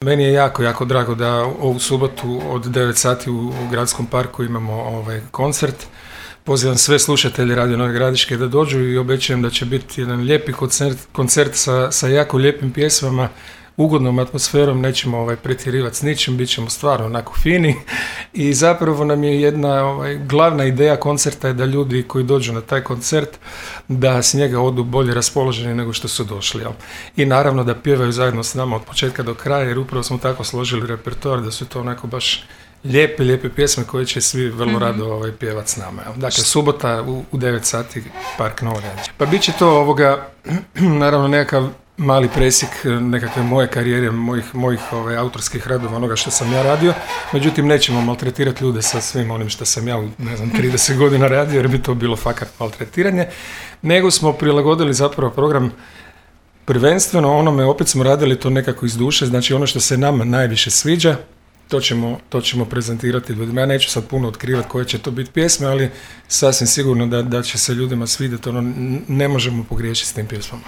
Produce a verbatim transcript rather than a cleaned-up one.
Meni je jako, jako drago da ovu subotu od devet sati u, u Gradskom parku imamo ovaj koncert. Pozivam sve slušatelje Radio Nove Gradiške da dođu i obećajem da će biti jedan lijepi koncert, koncert sa, sa jako lijepim pjesmama, ugodnom atmosferom, nećemo ovaj, pretjerivati s ničim, bit ćemo stvarno onako fini i zapravo nam je jedna ovaj, glavna ideja koncerta je da ljudi koji dođu na taj koncert da s njega odu bolje raspoloženi nego što su došli. Jel? I naravno da pjevaju zajedno s nama od početka do kraja jer upravo smo tako složili repertoar da su to onako baš lijepe, lijepe pjesme koje će svi vrlo mm-hmm. rado ovaj, pjevati s nama. Jel? Dakle, subota u, u devet sati, Park Novo Gradišće. Pa bit će to ovoga, naravno nekakav mali presjek nekakve moje karijere, mojih, mojih ovaj, autorskih radova, onoga što sam ja radio. Međutim, nećemo maltretirati ljude sa svim onim što sam ja u, ne znam, trideset godina radio, jer bi to bilo fakat maltretiranje. Nego smo prilagodili zapravo program prvenstveno onome, opet smo radili to nekako iz duše, znači ono što se nama najviše sviđa, to ćemo, to ćemo prezentirati ljudima. Ja neću sad puno otkrivati koje će to biti pjesme, ali sasvim sigurno da, da će se ljudima svidjeti, ono, ne možemo pogriješiti s tim pjesmama.